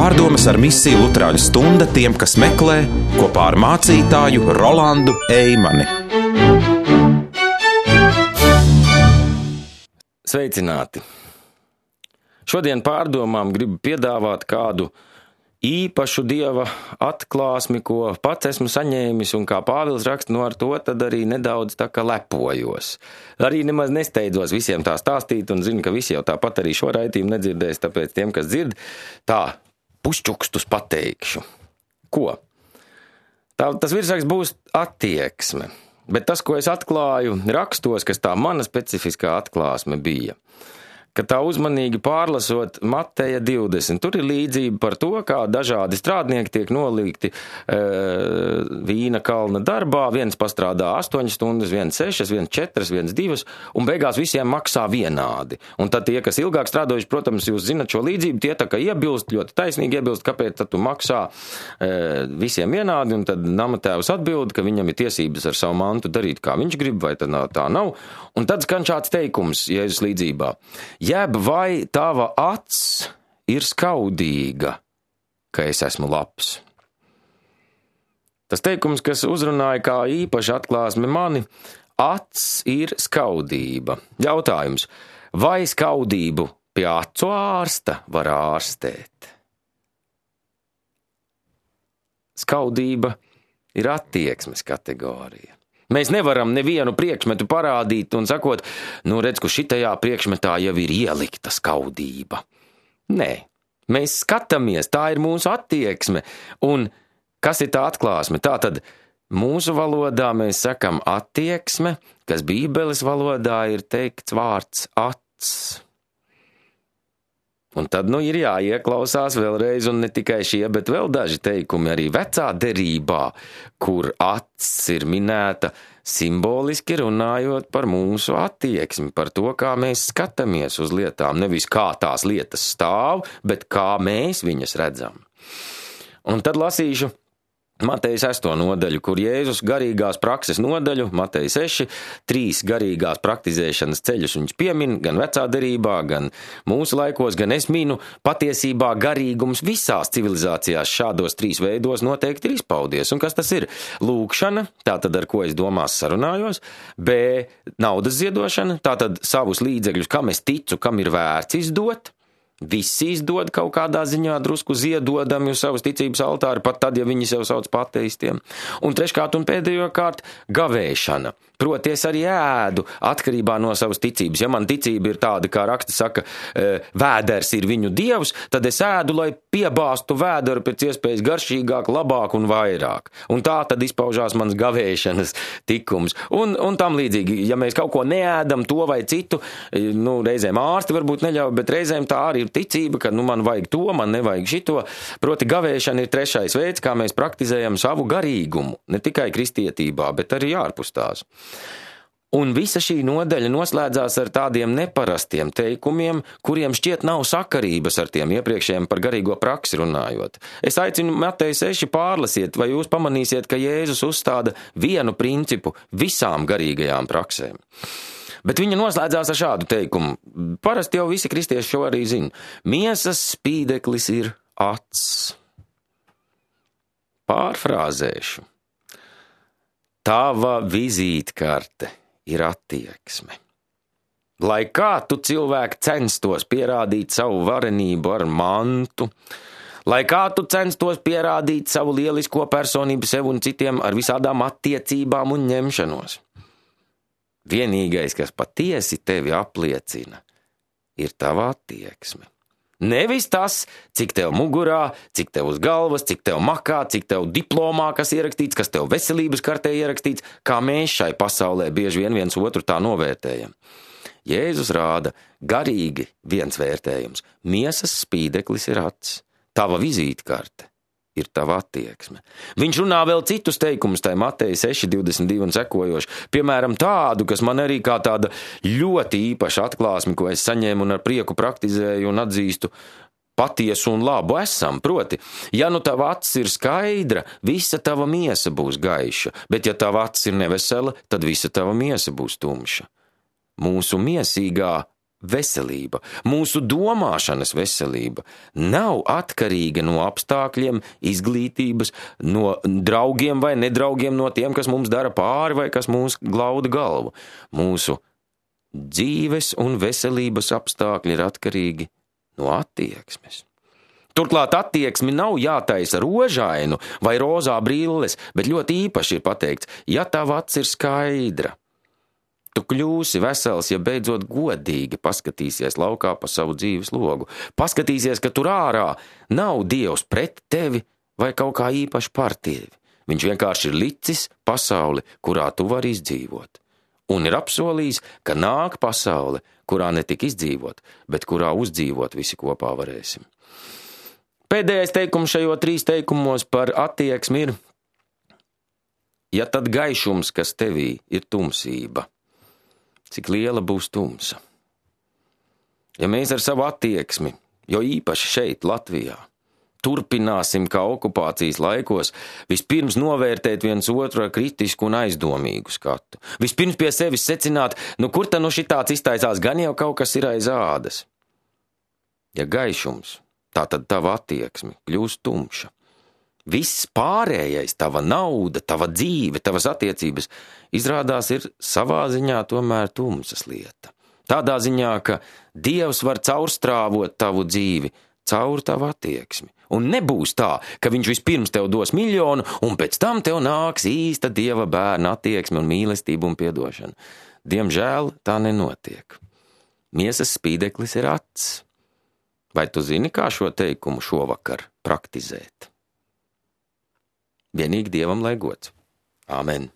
Pārdomas ar misiju Luterāņu stunda tiem, kas meklē, kopā ar mācītāju Rolandu Eimani. Sveicināti! Šodien pārdomām gribu piedāvāt kādu īpašu Dieva atklāsmi, ko pats esmu saņēmis, un kā Pāvils raksta, ar to tad arī nedaudz tā kā lepojos. Arī nemaz nesteidzos visiem tā stāstīt, un zinu, ka visi jau tāpat arī šo raidījumu nedzirdēs, tāpēc tiem, kas dzird, tā pušķukstus pateikšu. Ko? Tas virsraksts būs attieksme, bet tas, ko es atklāju rakstos, kas tā mana specifiskā atklāsme bija, ka tā uzmanīgi pārlasot Mateja 20. Tur ir līdzība par to, kā dažādi strādnieki tiek nolikti vīna kalna darbā. Viens pastrādā 8 stundas, viens 6, viens 4, viens 2, un beigās visiem maksā vienādi. Un tad tie, kas ilgāk strādājuši, protams, jūs zinat šo līdzību, tie tā kā iebilst, ļoti taisnīgi iebilst, kāpēc tad tu maksā visiem vienādi, un tad namatēvs atbild, ka viņam ir tiesības ar savu mantu darīt, kā viņš grib, vai tad tā nav. Un tad skan šāds teikums Jēzus līdzībā. Jeb vai tava acs ir skaudīga, ka es esmu labs? Tas teikums, kas uzrunāja kā īpaši atklāsme mani, acs ir skaudība. Jautājums, vai skaudību pie acu ārsta var ārstēt? Skaudība ir attieksmes kategorija. Mēs nevaram nevienu priekšmetu parādīt un sakot, redz, ka šitajā priekšmetā jau ir ielikta skaudība. Nē, mēs skatāmies, tā ir mūsu attieksme. Un kas ir tā atklāsme? Tātad mūsu valodā mēs sakam attieksme, kas Bībeles valodā ir teikts vārds acs. Un tad ir jāieklausās vēlreiz, un ne tikai šie, bet vēl daži teikumi arī vecā derībā, kur acs ir minēta simboliski runājot par mūsu attieksmi, par to, kā mēs skatāmies uz lietām, nevis kā tās lietas stāv, bet kā mēs viņas redzam. Un tad lasīšu Mateja 6. nodaļu, kur Jēzus garīgās prakses nodaļu, Mateja 6, 3 garīgās praktizēšanas ceļus viņš piemin, gan vecā derībā, gan mūsu laikos, gan es minu, patiesībā garīgums visās civilizācijās šādos 3 veidos noteikti ir izpaudies. Un kas tas ir? Lūkšana, tātad ar ko es domās sarunājos, B, naudas ziedošana, tātad savus līdzekļus, kam es ticu, kam ir vērts izdot. Visi izdod kaut kādā ziņā drusku ziedodami uz savas ticības altāri, pat tad, ja viņi sev sauc par ateistiem. Un treškārt un pēdējo kārt gavēšana. Proti, es arī ēdu atkarībā no savas ticības. Ja man ticība ir tāda, kā raksts saka, vēders ir viņu dievs, tad es ēdu, lai piebāstu vēderu pēc iespējas garšīgāk, labāk un vairāk. Un tā tad izpaužās mans gavēšanas tikums. Un tam līdzīgi, ja mēs kaut ko neēdam, to vai citu, reizēm ārsti varbūt neļauj, bet reizēm tā arī ir ticība, ka man vajag to, man nevajag šito. Proti, gavēšana ir trešais veids, kā mēs praktizējam savu garīgumu, ne tikai kristietībā, bet arī ārpus tās. Un visa šī nodaļa noslēdzās ar tādiem neparastiem teikumiem, kuriem šķiet nav sakarības ar tiem iepriekšējiem par garīgo praksi runājot. Es aicinu Mateja 6 pārlasiet, vai jūs pamanīsiet, ka Jēzus uzstāda vienu principu visām garīgajām praksēm. Bet viņa noslēdzās ar šādu teikumu. Parasti jau visi kristieši šo arī zina. Miesas spīdeklis ir acs. Pārfrāzēšu. Tava vizītkarte ir attieksme. Lai kā tu cilvēki censtos pierādīt savu varenību ar mantu, lai kā tu censtos pierādīt savu lielisko personību sev un citiem ar visādām attiecībām un ņemšanos. Vienīgais, kas patiesi tevi apliecina, ir tava attieksme. Nevis tas, cik tev mugurā, cik tev uz galvas, cik tev makā, cik tev diplomā, kas ierakstīts, kas tev veselības kartē ierakstīts, kā mēs šai pasaulē bieži vien viens otru tā novērtējam. Jēzus rāda garīgi viens vērtējums. Miesas spīdeklis ir acs. Tava vizītkarte ir tava attieksme. Viņš runā vēl citus teikumus, tai Mateja 6, 22 un sekojoši. Piemēram, tādu, kas man arī kā tāda ļoti īpaša atklāsme, ko es saņēmu un ar prieku praktizēju un atzīstu patiesu un labu esam. Proti, ja tava acs ir skaidra, visa tava miesa būs gaiša, bet ja tava acs ir nevesela, tad visa tava miesa būs tumša. Mūsu miesīgā veselība, mūsu domāšanas veselība nav atkarīga no apstākļiem, izglītības, no draugiem vai nedraugiem, no tiem, kas mums dara pāri vai kas mūs glauda galvu. Mūsu dzīves un veselības apstākļi ir atkarīgi no attieksmes. Turklāt attieksmi nav jātaisa rožainu vai rozā brilles, bet ļoti īpaši ir pateikts, ja tava acs ir skaidra. Tu kļūsi vesels, ja beidzot godīgi paskatīsies laukā pa savu dzīves logu. Paskatīsies, ka tur ārā nav Dievs pret tevi vai kaut kā īpaši par tevi. Viņš vienkārši ir licis pasauli, kurā tu vari izdzīvot. Un ir apsolījis, ka nāk pasaule, kurā ne tik izdzīvot, bet kurā uzdzīvot visi kopā varēsim. Pēdējais teikums šajos 3 teikumos par attieksmi ir, ja tad gaišums, kas tevī ir tumsība, cik liela būs tumsa. Ja mēs ar savu attieksmi, jo īpaši šeit, Latvijā, turpināsim kā okupācijas laikos, vispirms novērtēt viens otru ar kritisku un aizdomīgu skatu. Vispirms pie sevis secināt, kur ta šitāds iztaisās, gan jau kaut kas ir aiz ādas. Ja gaišums, tātad tava attieksme kļūst tumša. Viss pārējais, tava nauda, tava dzīve, tavas attiecības, izrādās ir savā ziņā tomēr tumsas lieta. Tādā ziņā, ka Dievs var caurstrāvot tavu dzīvi caur tavu attieksmi. Un nebūs tā, ka viņš vispirms tev dos 1 miljonu, un pēc tam tev nāks īsta Dieva bērna attieksme un mīlestība un piedošana. Diemžēl tā nenotiek. Miesas spīdeklis ir acs. Vai tu zini, kā šo teikumu šovakar praktizēt? Vienīgi Dievam lai gods. Āmen.